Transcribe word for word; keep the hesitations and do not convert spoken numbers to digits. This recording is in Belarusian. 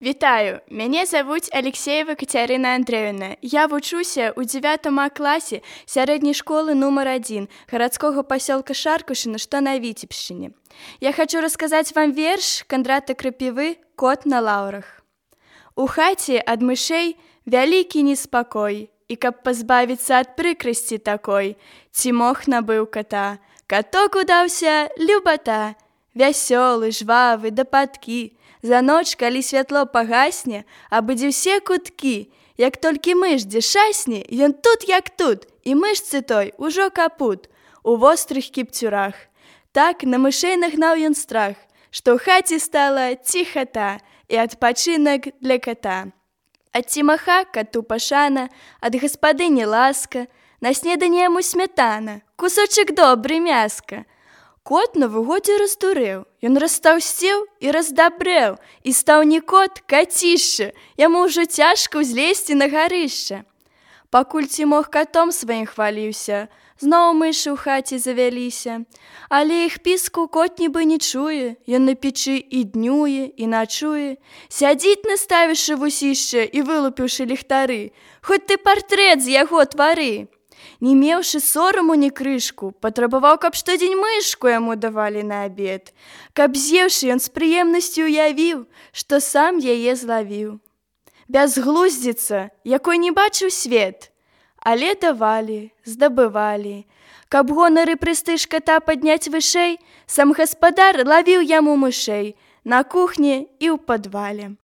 Вітаю, мяне завуць Алексеева Кацярына Андрэевна. Я вучуся ў дзевятым А класе сярэдняй школы нумар адзін гарадскога пасёлка Шаркушына, што на Віцебшчыне. Я хочу расказаць вам верш Кандрата Крапівы «Кот на лаўрах». У хаце ад мышэй вялікі неспакой, і каб пазбавіцца ад прыкрасці такой, Цімох набыў кота. Каток удаўся любата, вясёлы, жвавы, да падкі. За ноч, калі святло пагасне, абыдзе ўсе куткі. Як толькі мыш дзе шасне, ён тут як тут, і мышцы той ужо капут у вострых кіпцюрах. Так на мышэй нагнаў ён страх, што ў хаце стала ціхата і адпачынак для кота. Ад Цімаха кату пашана, ад гаспадыні ласка, на снеданне яму смятана, кусочак добры мяска. Кот на выгодзе раздурэў, ён растаўсцеў і раздабрэў, і стаў не кот, кацішча, яму ўжо цяжка ўзлезці на гарышча. Пакуль Цімох катом сваім хваліўся, зноў мышы ў хаце завяліся. Але іх піску кот нібы не чуе, ён на печы і днюе, і начуе. Сядзіць наставіўшы вусішча і вылупіўшы ліхтары, хоць ты партрэт з яго твары. Не меўшы сораму ні крышку, патрабаваў, каб штодзень мышку яму давалі на абед, каб з'еўшы ён з прыемнасцю уявіў, што сам яе злавіў. Бязглуздзіца, якой не бачыў свет, але давалі, здабывалі. Каб гонар і прэстыж ката падняць вышэй, сам гаспадар лавіў яму мышэй на кухні і ў падвале.